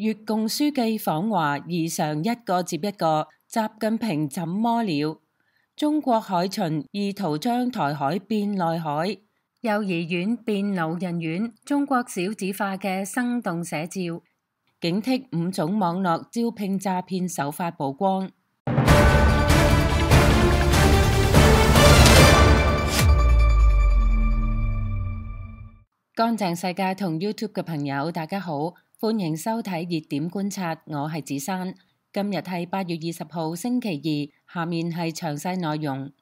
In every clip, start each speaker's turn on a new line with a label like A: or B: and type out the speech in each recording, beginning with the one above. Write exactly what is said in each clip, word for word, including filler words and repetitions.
A: 越共書記訪華，異常一個接一個。習近平怎麼了？中國海巡意圖將台海變內海，幼兒園變老人院，中國少子化嘅生動寫照。警惕五種網絡招聘詐騙手法曝光。乾淨世界同 YouTube 嘅朋友，大家好，歡迎收睇熱點觀察，我係子珊。今日係八月二十號星期二，下面係詳細內容。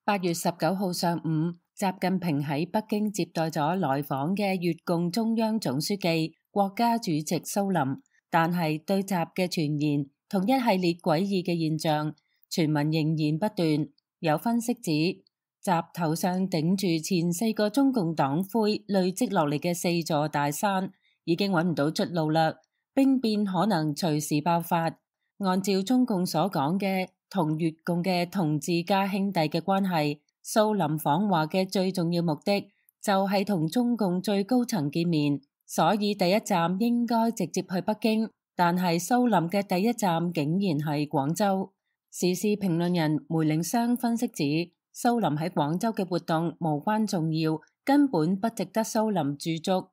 A: 八月十九號上午，習近平喺北京接待咗來訪嘅越共中央總書記、國家主席蘇林，但係對習嘅傳言同一系列詭異嘅現象，傳聞仍然不斷。有分析指，習頭上頂住前四個中共黨魁累積落嚟嘅四座大山，已經揾唔到出路啦，兵變可能隨時爆發。按照中共所講嘅同越共嘅同志加兄弟嘅關係，蘇林訪華嘅最重要目的就係同中共最高層見面，所以第一站應該直接去北京，但係蘇林嘅第一站竟然係廣州。時事評論人梅令湘分析指，蘇林喺廣州嘅活動無關重要，根本不值得蘇林駐足。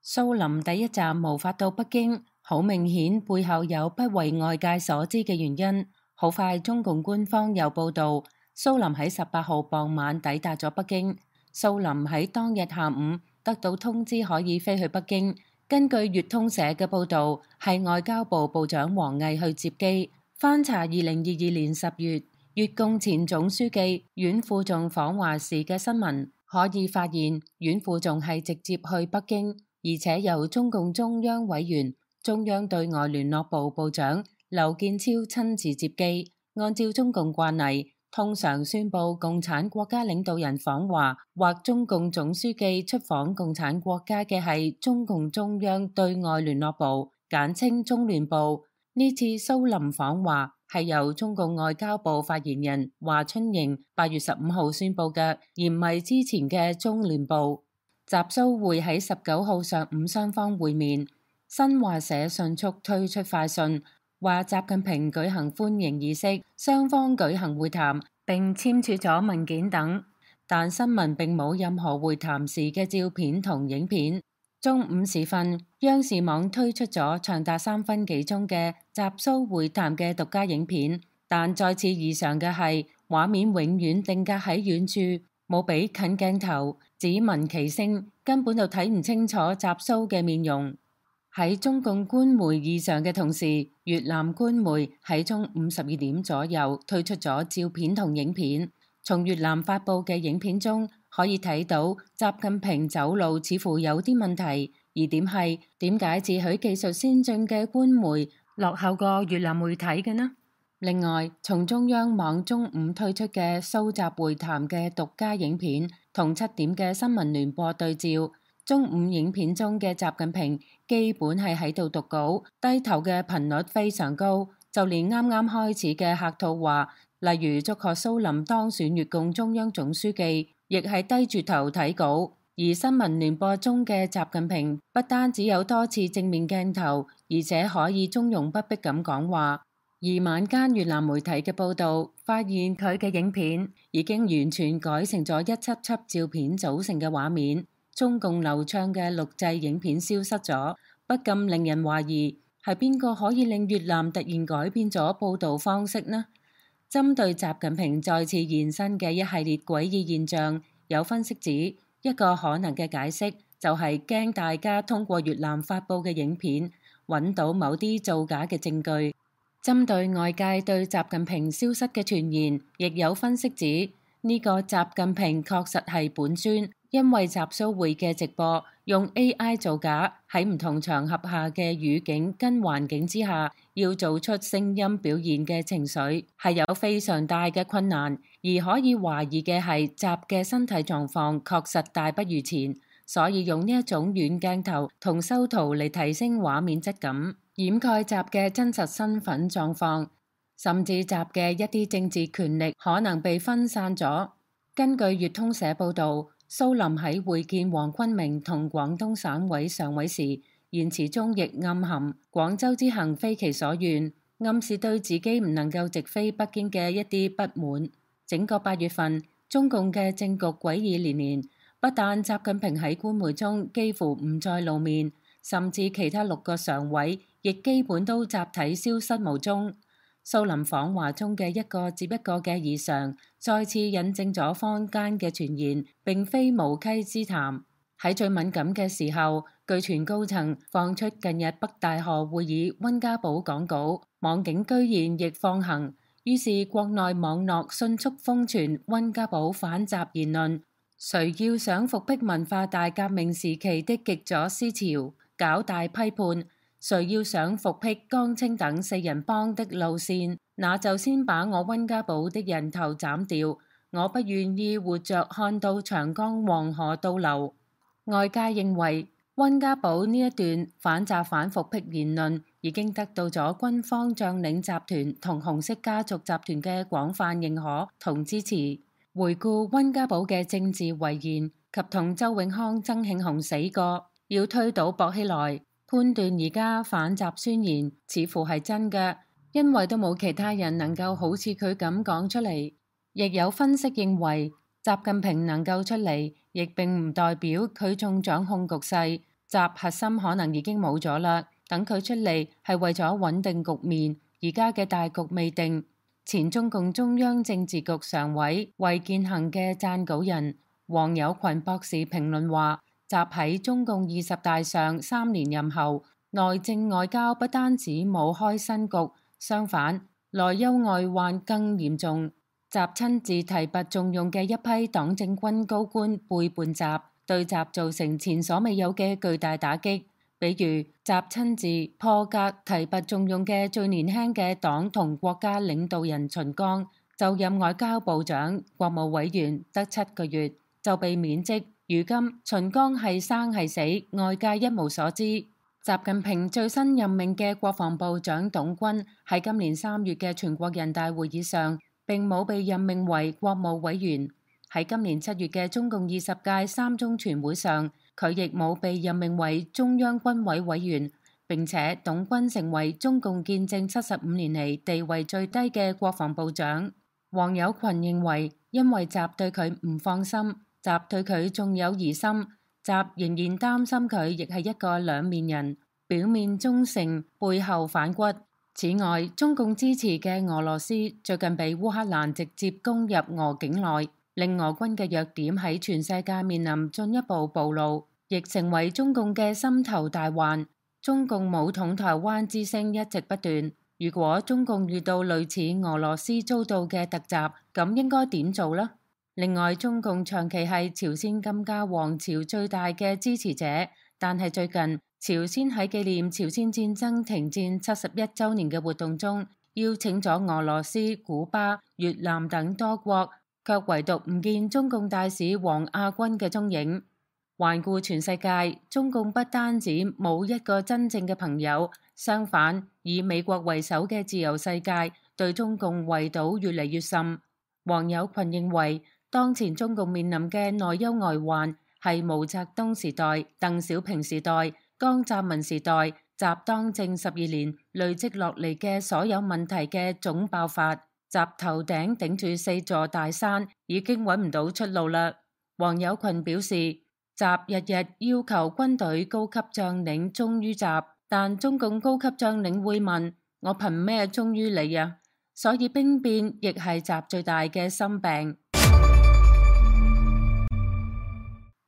A: 蘇林第一站無法到北京，好明顯背後有不為外界所知嘅原因。好快，中共官方又報道，蘇林喺十八號傍晚抵達咗北京。蘇林喺當日下午得到通知可以飛去北京。根據粵通社嘅報道，係外交部部長王毅去接機。翻查二零二二年十月越共前總書記阮富仲訪華時嘅新聞，可以發現阮富仲係直接去北京，而且由中共中央委員、中央對外聯絡部部長劉建超親自接機。按照中共慣例，通常宣布共產國家領導人訪華或中共總書記出訪共產國家嘅係中共中央對外聯絡部，簡稱中聯部。呢次蘇林訪華係由中共外交部發言人華春瑩八月十五號宣布嘅，而唔係之前嘅中聯部。習蘇會喺十九號上午雙方會面。新華社迅速推出快訊，話習近平舉行歡迎儀式，雙方舉行會談並簽署咗文件等，但新聞並冇任何會談時嘅照片同影片。中午時分，央視網推出咗長達三分幾鐘嘅習蘇會談嘅獨家影片，但再次異常嘅係畫面永遠定格喺遠處，冇俾近鏡頭，只聞其聲，根本就睇唔清楚習蘇嘅面容。喺中共官媒異常嘅同時，越南官媒喺中午十二點左右推出咗照片同影片。從越南發佈嘅影片中可以睇到習近平走路似乎有啲問題，而點係點解自詡技術先進嘅官媒落後過越南媒體嘅呢？另外，從中央網中午推出嘅蘇習會談嘅獨家影片同七點嘅新聞聯播對照，中午影片中嘅習近平基本係喺度讀稿，低頭嘅頻率非常高，就連啱啱開始嘅客套話，例如祝賀蘇林當選越共中央總書記，亦係低住頭睇稿。而新聞聯播中嘅習近平不單只有多次正面鏡頭，而且可以從容不迫咁講話。而晚間越南媒體嘅報導發現佢嘅影片已經完全改成咗一輯輯照片組成嘅畫面，中共流暢嘅錄製影片消失咗，不禁令人懷疑係邊個可以令越南突然改變咗報導方式呢？針對習近平再次現身嘅一系列詭異現象，有分析指一個可能嘅解釋就係驚大家通過越南發佈嘅影片揾到某啲造假嘅證據。針對外界對習近平消失嘅傳言，亦有分析指呢個習近平確實係本尊，因為習蘇會嘅直播用 A I 造假，喺唔同場合下嘅語境跟環境之下，要做出聲音表現嘅情緒係有非常大嘅困難，而可以懷疑嘅係習嘅身體狀況確實大不如前，所以用呢一種遠鏡頭同修圖嚟提升畫面質感，掩蓋習嘅真實身份狀況，甚至習嘅一啲政治權力可能被分散咗。根據粵通社報導，蘇林喺會見黃坤明同廣東省委常委時，言辭中亦暗含廣州之行非其所願，暗示對自己唔能夠直飛北京嘅一啲不滿。整個八月份，中共嘅政局詭異連連，不但習近平喺官媒中幾乎唔再露面，甚至其他六個常委亦基本都集體消失無蹤。蘇林訪華中嘅一個接一個嘅異常，再次印證咗坊間嘅傳言並非無稽之談。喺最敏感嘅時候，據傳高層放出近日北大河會議溫家寶講稿，網警居然亦放行，於是國內網絡迅速瘋傳溫家寶反習言論。誰要想復辟文化大革命時期的極左思潮，搞大批判？誰要想復辟江青等四人幫的路線，那就先把我溫家寶的人頭斬掉。我不願意活着看到長江黃河倒流。外界認為溫家寶呢一段反習反復辟言論已經得到咗軍方將領集團同紅色家族集團嘅廣泛認可同支持。回顧溫家寶嘅政治遺言及同周永康、曾慶紅死過，要推倒薄熙來，判斷而家反習宣言似乎係真嘅，因為都冇其他人能夠好似佢咁講出嚟。亦有分析認為，習近平能夠出嚟，亦並唔代表佢仲掌控局勢，習核心可能已經冇咗啦。等佢出嚟係為咗穩定局面，而家嘅大局未定。前中共中央政治局常委衛健行嘅撰稿人黃有群博士評論話，習喺中共二十大上三連任後，內政外交不單止冇開新局，相反內憂外患更嚴重。習親自提拔重用嘅一批黨政軍高官背叛習，對習造成前所未有嘅巨大打擊。比如習親自破格提拔重用嘅最年輕嘅黨同國家領導人秦剛，就任外交部長、國務委員得七個月就被免職。如今秦剛係生係死，外界一無所知。習近平最新任命嘅國防部長董軍喺今年三月嘅全國人大會議上並冇被任命為國務委員。喺今年七月嘅中共二十屆三中全會上，佢亦冇被任命為中央軍委委員，並且董軍成為中共建政七十五年嚟地位最低嘅國防部長。黃有群認為，因為習對佢唔放心，習對佢仲有疑心，習仍然擔心佢亦係一個兩面人，表面忠誠，背後反骨。此外，中共支持嘅俄羅斯最近被烏克蘭直接攻入俄境內，令俄軍嘅弱點喺全世界面臨進一步暴露，亦成為中共嘅心頭大患。中共武統台灣之聲一直不斷，如果中共遇到類似俄羅斯遭到嘅突襲，咁應該點做呢？另外，中共長期係朝鮮金家王朝最大嘅支持者，但係最近朝鮮喺紀念朝鮮戰爭停戰七十一週年嘅活動中，邀請咗俄羅斯、古巴、越南等多國，卻唯獨唔見中共大使王亞軍嘅蹤影。環顧全世界，中共不單止冇一個真正嘅朋友，相反，以美國為首嘅自由世界對中共圍堵越嚟越深。黃有群認為，當前中共面臨嘅內憂外患係毛澤東時代、鄧小平時代、江澤民時代，習當政十二年累積落嚟嘅所有問題嘅總爆發。習頭頂頂住四座大山，已經揾唔到出路啦。黃有群表示，習日日要求軍隊高級將領忠於習，但中共高級將領會問：我憑咩忠於你啊？所以兵變亦係習最大嘅心病。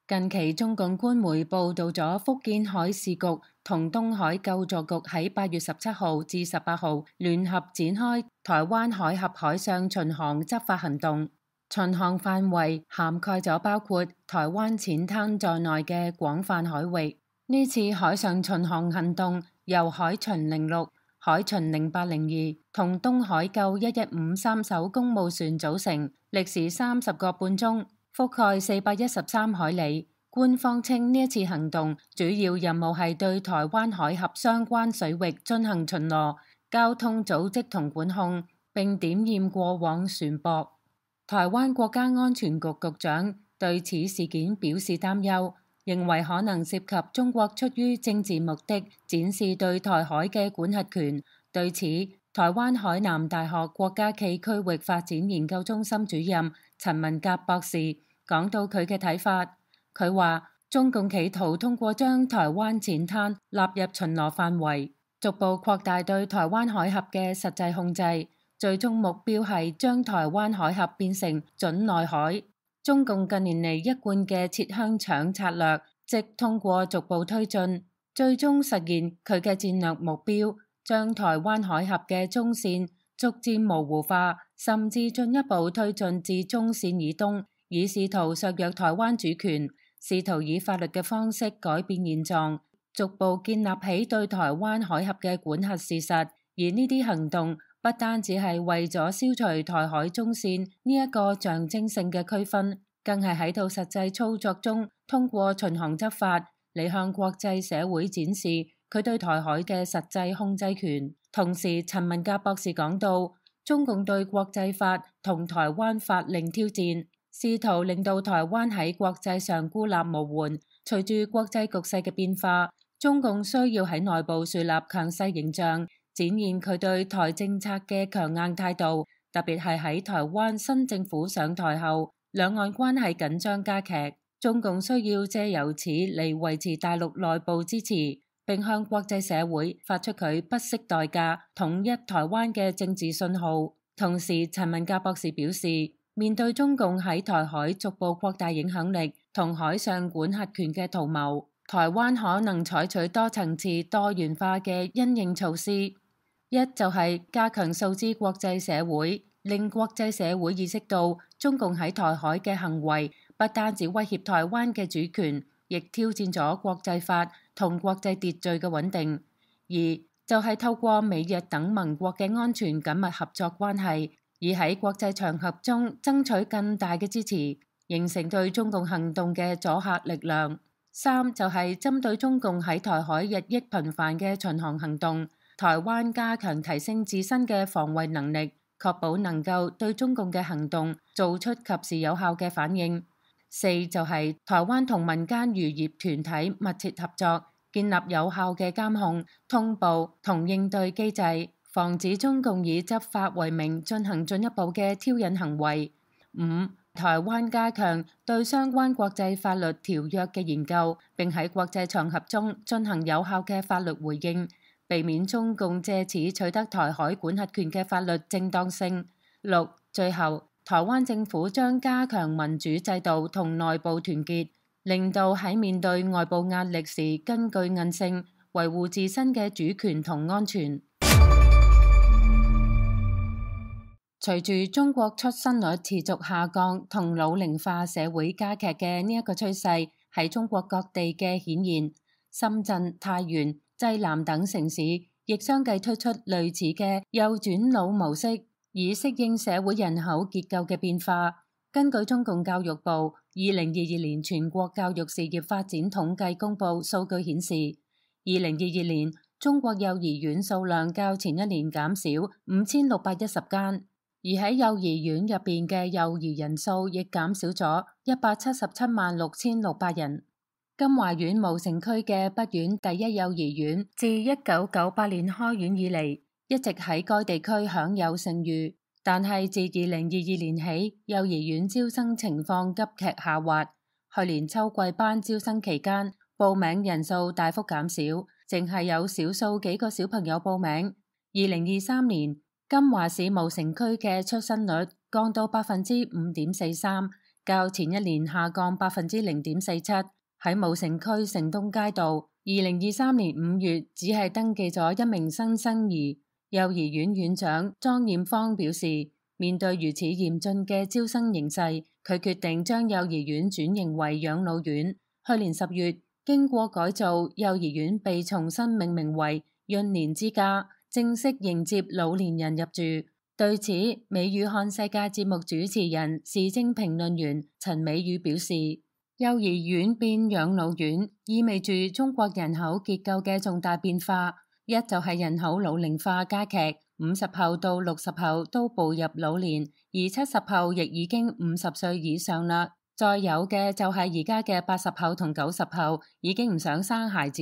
A: 近期中共官媒報道咗福建海事局同東海救助局喺八月十七號至十八號聯合展開台灣海峽海上巡航執法行動，巡航範圍涵蓋咗包括台灣淺灘在內嘅廣泛海域。呢次海上巡航行動由海巡零六、海巡零八零二同東海救一一五三艘公務船組成，歷時三十個半鐘，覆蓋四百一十三海里。官方稱呢一次行動主要任務係對台灣海峽相關水域進行巡邏、交通組織同管控，並點驗過往船舶。台灣國家安全局局長對此事件表示擔憂。認為可能涉及中國出於政治目的展示對台海嘅管轄權。對此，台灣海南大學國家暨區域發展研究中心主任陳文甲博士講到佢嘅睇法。佢話中共企圖通過將台灣淺灘納入巡邏範圍，逐步擴大對台灣海峽嘅實際控制，最終目標係將台灣海峽變成準內海。中共近年嚟一貫嘅切香腸策略，即通過逐步推進，最終實現佢嘅戰略目標，將台灣海峽嘅中線逐漸模糊化，甚至進一步推進至中線以東，以試圖削弱台灣主權，試圖以法律嘅方式改變現狀，逐步建立起對台灣海峽嘅管轄事實。而呢啲行動不單只係為咗消除台海中線呢一個象徵性嘅區分，更係喺度實際操作中通過巡航執法嚟向國際社會展示佢對台海嘅實際控制權。同時，陳文甲博士講到，中共對國際法同台灣法令挑戰，試圖令到台灣喺國際上孤立無援。隨住國際局勢嘅變化，中共需要喺內部樹立強勢形象，展現佢對台政策嘅強硬態度。特別係喺台灣新政府上台後，兩岸關係緊張加劇，中共需要借由此嚟維持大陸內部支持，並向國際社會發出佢不惜代價統一台灣嘅政治信號。同時，陳文甲博士表示，面對中共喺台海逐步擴大影響力同海上管轄權嘅圖謀，台灣可能採取多層次多元化嘅因應措施。一就係加強訴諸國際社會，令國際社會意識到中共喺台海嘅行為不單止威脅台灣嘅主權，亦挑戰咗國際法同國際秩序嘅穩定。二就係透過美日等盟國嘅安全緊密合作關係，以喺國際場合中爭取更大嘅支持，形成對中共行動嘅阻嚇力量。三就係針對中共喺台海日益頻繁嘅巡航行動，台灣加強提升自身嘅防衛能力，確保能夠對中共嘅行動做出及時有效嘅反應。四就係台灣同民間漁業團體密切合作，建立有效嘅監控、通報同應對機制，防止中共以執法為名進行進一步嘅挑釁行為。五、台灣加強對相關國際法律條約嘅研究，並喺國際場合中進行有效嘅法律回應，避免中共借此取得台海管轄權嘅法律正當性。六、最後，台灣政府將加強民主制度同內部團結，令到喺面對外部壓力時根據韌性，維護自身嘅主權同安全。隨住中國出生率持續下降同老齡化社會加劇嘅呢一個趨勢喺中國各地嘅顯現，深圳、太原、濟南等城市亦相繼推出類似嘅幼轉老模式，以適應社會人口結構嘅變化。根據中共教育部二零二二年全國教育事業發展統計公佈數據顯示，二零二二年中國幼兒園數量較前一年減少五千六百一十間。而喺幼兒園入邊嘅幼兒人數亦減少咗一百七十七萬六千六百人。金華縣武城區嘅北縣第一幼兒園自一九九八年開園以嚟，一直喺該地區享有盛譽，但係自二零二二年起，幼兒園招生情況急劇下滑。去年秋季班招生期間，報名人數大幅減少，淨係有少數幾個小朋友報名。二零二三年，金華市武城區嘅出生率降到百分之五點四三，較前一年下降百分之零點四七。喺武城區城東街道，二零二三年五月只係登記咗一名新生兒。幼兒園院長莊艷芳表示，面對如此嚴峻嘅招生形勢，佢決定將幼兒園轉型為養老院。去年十月，經過改造，幼兒園被重新命名為潤年之家，正式迎接老年人入住。對此，美語看世界節目主持人、時政評論員陳美宇表示，幼兒園變養老院意味住中國人口結構嘅重大變化。一就係人口老齡化加劇，五十後到六十後都步入老年，而七十後亦已經五十歲以上啦。再有嘅就係而家嘅八十後同九十後已經唔想生孩子，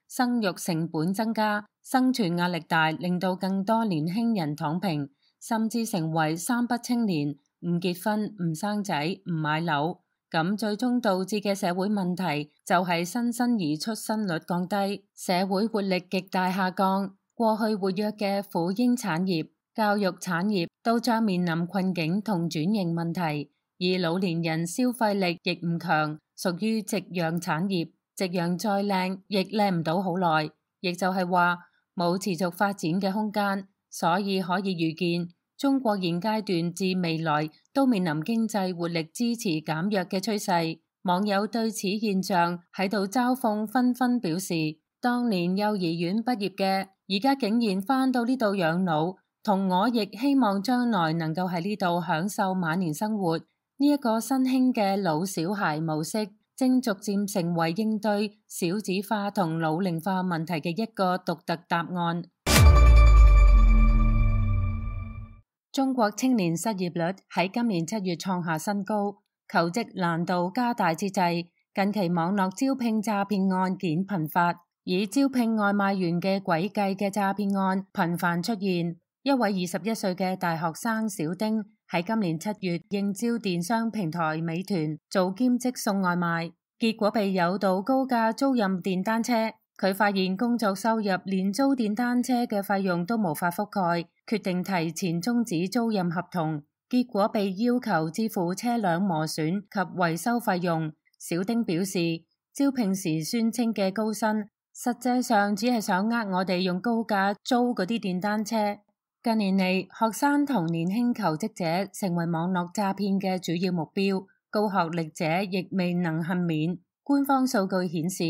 A: 生育成本增加，生存壓力大，令到更多年輕人躺平，甚至成為三不青年，唔結婚、唔生仔、唔買樓。咁最終導致嘅社會問題就係新生兒出生率降低，社會活力極大下降。過去活躍嘅婦嬰產業、教育產業都將面臨困境同轉型問題，而老年人消費力亦唔強，屬於夕陽產業。夕陽再靚，亦靚唔到好耐，亦就係話冇持續發展嘅空間。所以可以預見，中國現階段至未來都面臨經濟活力支持減弱嘅趨勢。網友對此現象喺度嘲諷，紛紛表示：當年幼兒園畢業嘅，而家竟然返到呢度養老，同我亦希望將來能夠喺呢度享受晚年生活。呢一個新興嘅老小孩模式，正逐漸成為應對少子化同老齡化問題嘅一個獨特答案。中國青年失業率喺今年七月創下新高，求職難度加大之際，近期網絡招聘詐騙案件頻發，以招聘外賣員嘅詭計嘅詐騙案頻繁出現。一位二十一歲嘅大學生小丁喺今年七月應招電商平台美團做兼職送外賣，結果被誘導高價租賃電單車。佢發現工作收入連租電單車嘅費用都無法覆蓋，決定提前終止租賃合同，結果被要求支付車輛磨損及維修費用。小丁表示，招聘時宣稱嘅高薪，實際上只係想呃我哋用高價租嗰啲電單車。近年嚟，學生同年輕求職者成為網絡詐騙嘅主要目標，高學歷者亦未能幸免。官方數據顯示，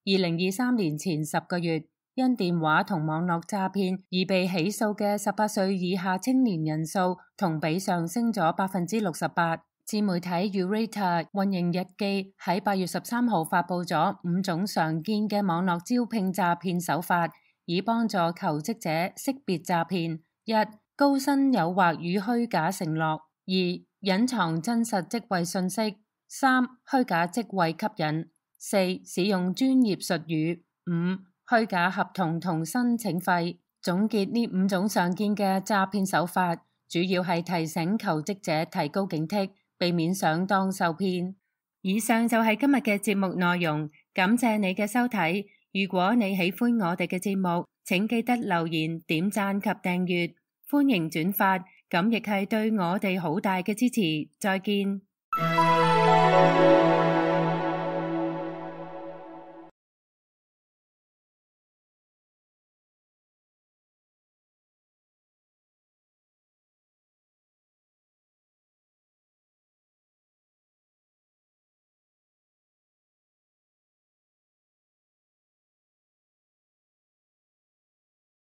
A: 二零二三年前十個月，因電話同網絡詐騙而被起訴嘅十八歲以下青年人數同比上升咗百分之六十八。自媒體 Urate 運營日記喺八月十三號發佈咗五種常見嘅網絡招聘詐騙手法，以幫助求職者識別詐騙。一、高薪誘惑與虛假承諾；二、隱藏真實職位信息；三、虛假職位吸引；四、使用專業術語；五、虛假合同同申請費。總結呢五種常見嘅詐騙手法，主要係提醒求職者提高警惕，避免上當受騙。以上就係今日嘅節目內容，感謝你嘅收睇。如果你喜歡我哋嘅節目，請記得留言、點讚及訂閱，歡迎轉發，咁亦係對我哋好大嘅支持。再見。